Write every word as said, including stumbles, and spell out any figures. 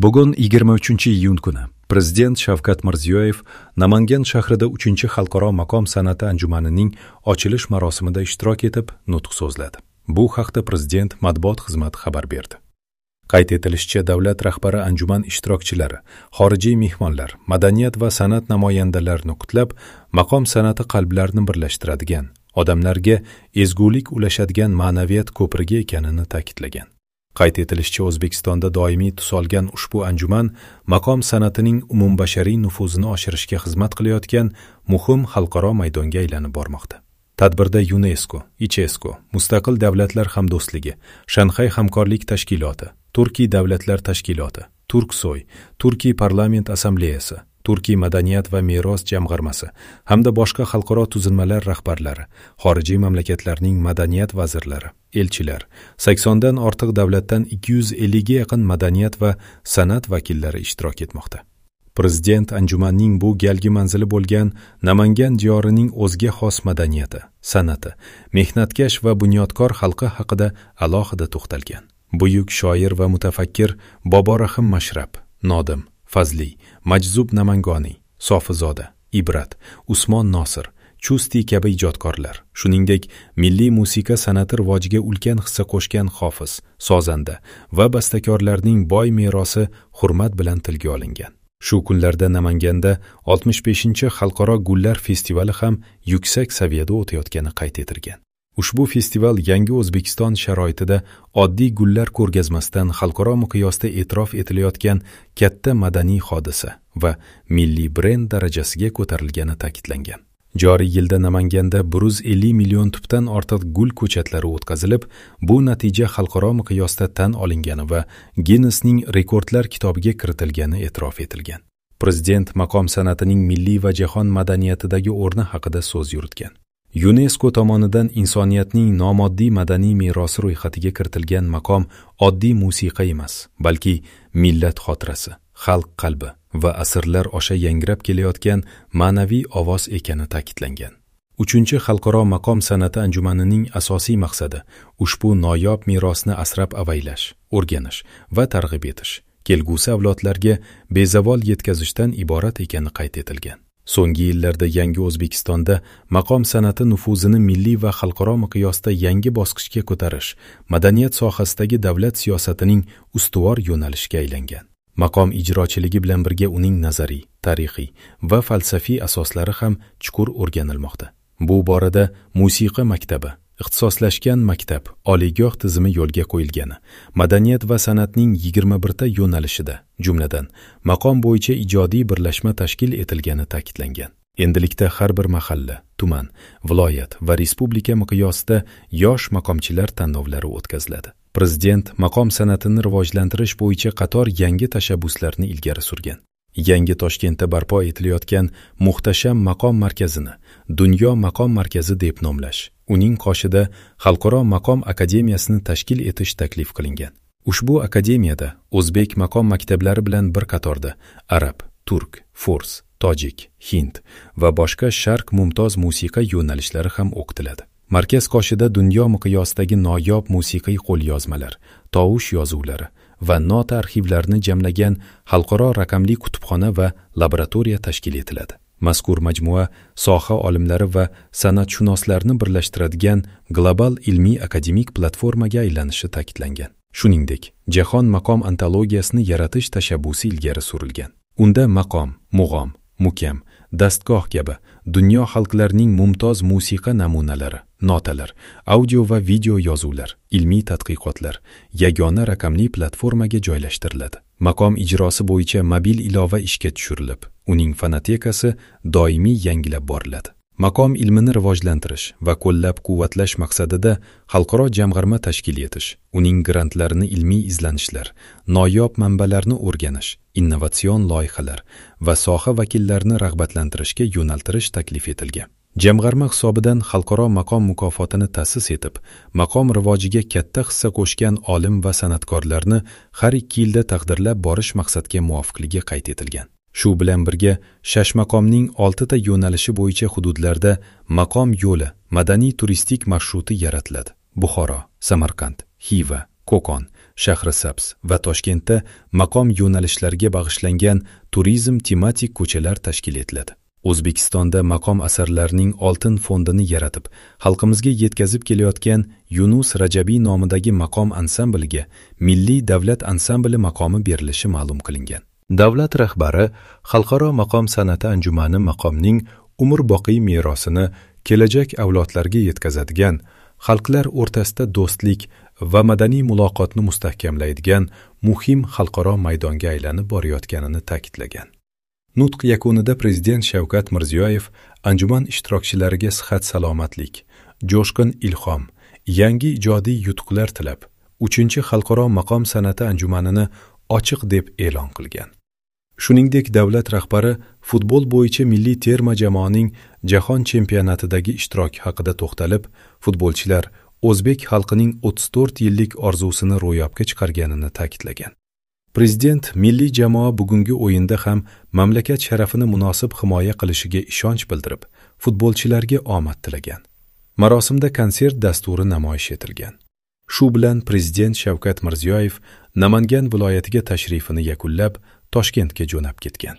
Bugun yigirma uchinchi iyun kuni Prezident Shavkat Mirziyoyev Namangan shahrida uchinchi xalqaro maqom san'ati anjumanining ochilish marosimida ishtirok etib, nutq so'zladi. Bu haqda Prezident matbuot xizmati xabar berdi. Qayd etilishicha, davlat rahbari anjuman ishtirokchilari, xorijiy mehmonlar, madaniyat va san'at namoyandalarini qutlab, maqom san'ati qalblarni birlashtiradigan, odamlarga ezgulik ulashadigan ma'naviyat ko'prigi ekanini ta'kidlagan. Qayd etilishicha, O'zbekistonda doimiy tus olgan ushbu anjuman maqom san'atining umumbashariy nufuzini oshirishga xizmat qilayotgan muhim xalqaro maydonga aylanib bormoqda. Tadbirda UNESCO, ICESCO, Mustaqil Davlatlar Hamdo'stligi, Shanxay Hamkorlik Tashkiloti, Turkiy Davlatlar Tashkiloti, Turksoy, Turkiy Parlament Assambleyasi, Turkiy Madaniyat va Meros Jamg'armasi hamda boshqa xalqaro tuzilmalar rahbarlari, xorijiy mamlakatlarning madaniyat vazirlari, elchilar, saksondan ortiq davlatdan ikki yuz ellikga yaqin madaniyat va san'at vakillari ishtirok etmoqda. Prezident anjumanning bu galgi manzili bo'lgan Namangan diyorining o'zga xos madaniyati, san'ati, mehnatkash va bunyodkor xalqi haqida alohida to'xtalgan. Buyuk shoir va mutafakkir Boborahim Mashrab, Nodim, Fazli, Majzub Namangoniy, Sofizoda, Ibrat, Usmon Nosir, Chusti kabi ijodkorlar, shuningdek, milliy musiqa san'ati rivojiga ulkan hissa qo'shgan hofiz, sozanda va bastakorlarning boy merosi hurmat bilan tilga olingan. Shu kunlarda Namanganda oltmish beshinchi xalqaro gullar festivali ham yuksak saviyada o'tayotgani qayd etilgan. Ushbu festival yangi O'zbekiston sharoitida oddiy gullar ko'rgazmasidan xalqaro miqyosda e'tirof etilayotgan katta madaniy hodisa va milliy brend darajasiga ko'tarilgani ta'kidlangan. Joriy yilda Namanganda bir yuz ellik million tubdan ortiq gul ko'chatlari o'tkazilib, bu natija xalqaro miqyosda tan olingani va Ginnesning rekordlar kitobiga kiritilgani e'tirof etilgan. Prezident maqom san'atining milliy va jahon madaniyatidagi o'rni haqida so'z yuritgan. UNESCO tomonidan insoniyatning nomoddiy madaniy merosi ro'yxatiga kiritilgan maqom oddiy musiqa emas, balki millat xotirasi, xalq qalbi va asrlar osha yangrab kelayotgan ma'naviy ovoz ekani ta'kidlangan. Uchinchi xalqaro maqom san'ati anjumanining asosiy maqsadi ushbu noyob merosni asrab avaylash, o'rganish va targ'ib etish, kelgusi avlodlarga bezavol yetkazishdan iborat ekani qayd etilgan. So'nggi yillarda yangi O'zbekistonda maqom san'ati nufuzini milliy va xalqaro miqyosda yangi bosqichga ko'tarish, madaniyat sohasidagi davlat siyosatining ustuvor yo'nalishiga aylangan. Maqom ijrochiligi bilan birga uning nazariy, tarixiy va falsafiy asoslari ham chuqur o'rganilmoqda. Bu borada musiqa maktabi, ixtisoslashgan maktab, oliygoh tizimi yo'lga qo'yilgani, madaniyat va san'atning yigirma birta yo'nalishida, jumladan, maqom bo'yicha ijodiy birlashma tashkil etilgani ta'kidlangan. Endilikda har bir mahalla, tuman, viloyat va respublika miqyosida yosh maqomchilar tanlovlari o'tkaziladi. Prezident maqom san'atini rivojlantirish bo'yicha qator yangi tashabbuslarni ilgari surgan. Yangi Toshkentda barpo etilayotgan muhtasham maqom markazini Dunyo maqom markazi deb nomlash, uning qoshida Xalqaro maqom akademiyasini tashkil etish taklif qilingan. Ushbu akademiyada o'zbek maqom maktablari bilan bir qatorda arab, turk, fors, tojik, hind va boshqa sharq mumtoz musiqa yo'nalishlari ham o'qitiladi. Markaz qoshida dunyo miqyosidagi noyob musiqiy qo'lyozmalar, tovush yozuvlari va nota arxivlarini jamlagan xalqaro raqamli kutubxona va laboratoriya tashkil etiladi. Mazkur majmua soha olimlari va san'atshunoslarni birlashtiradigan global ilmiy akademik platformaga aylanishi ta'kidlangan. Shuningdek, jahon maqom antologiyasini yaratish tashabbusi ilgari surilgan. Unda maqom, mug'om, mukam, dastgoh kabi dunyo xalqlarining mumtoz musiqa namunalari, notalar, audio va video yozuvlar, ilmiy tadqiqotlar yagona raqamli platformaga joylashtiriladi. Maqom ijrosi bo'yicha mobil ilova ishga tushirilib, uning fonotekasi doimiy yangilab boriladi. Maqom ilmini rivojlantirish va qo'llab-quvvatlash maqsadida xalqaro jamg'arma tashkil etish, uning grantlarini ilmiy izlanishlar, noyob manbalarni o'rganish, innovatsion loyihalar va soha vakillarini rag'batlantirishga yo'naltirish taklif etilgan. Jamg'arma hisobidan xalqaro maqom mukofotini ta'sis etib, maqom rivojiga katta hissa qo'shgan olim va san'atkorlarni har ikki yilda taqdirlab borish maqsadga muvofiqligi qayd etilgan. Shu bilan birga shashmaqomning oltita yo'nalishi bo'yicha hududlarda maqom yo'li madaniy turistik marshruti yaratiladi. Buxoro, Samarqand, Xiva, Qo'qon, Shahrisabz va Toshkentda maqom yo'nalishlariga bag'ishlangan turizm tematik ko'chalar tashkil etiladi. O'zbekistonda maqom asarlarining oltin fondini yaratib, xalqimizga yetkazib kelayotgan Yunus Rajabiy nomidagi maqom ansambliga Milliy davlat ansambli maqomi berilishi ma'lum qilingan. Davlat rahbari Xalqaro maqom san'ati anjumani maqomning umrboqiy merosini kelajak avlodlarga yetkazadigan, xalqlar o'rtasida do'stlik va madaniy muloqotni mustahkamlaydigan muhim xalqaro maydonga aylanib borayotganini ta'kidlagan. Nutq yakunida Prezident Shavkat Mirziyoyev anjuman ishtirokchilariga sihat-salomatlik, jo'shqin ilhom, yangi ijodiy yutuqlar tilab, uchinchi Xalqaro maqom san'ati anjumanini ochiq deb e'lon qilgan. Shuningdek, davlat rahbari futbol bo'yicha milliy terma jamoaning jahon chempionatidagi ishtiroki haqida to'xtalib, futbolchilar o'zbek xalqining o'ttiz to'rt yillik orzusini ro'yobga chiqarganini ta'kidlagan. Prezident milliy jamoa bugungi o'yinda ham mamlakat sharafini munosib himoya qilishiga ishonch bildirib, futbolchilarga omad tilagan. Marosimda konsert dasturi namoyish etilgan. Shu bilan Prezident Shavkat Mirziyoyev Namangan viloyatiga tashrifini yakunlab, Toshkentga jo'nab ketgan.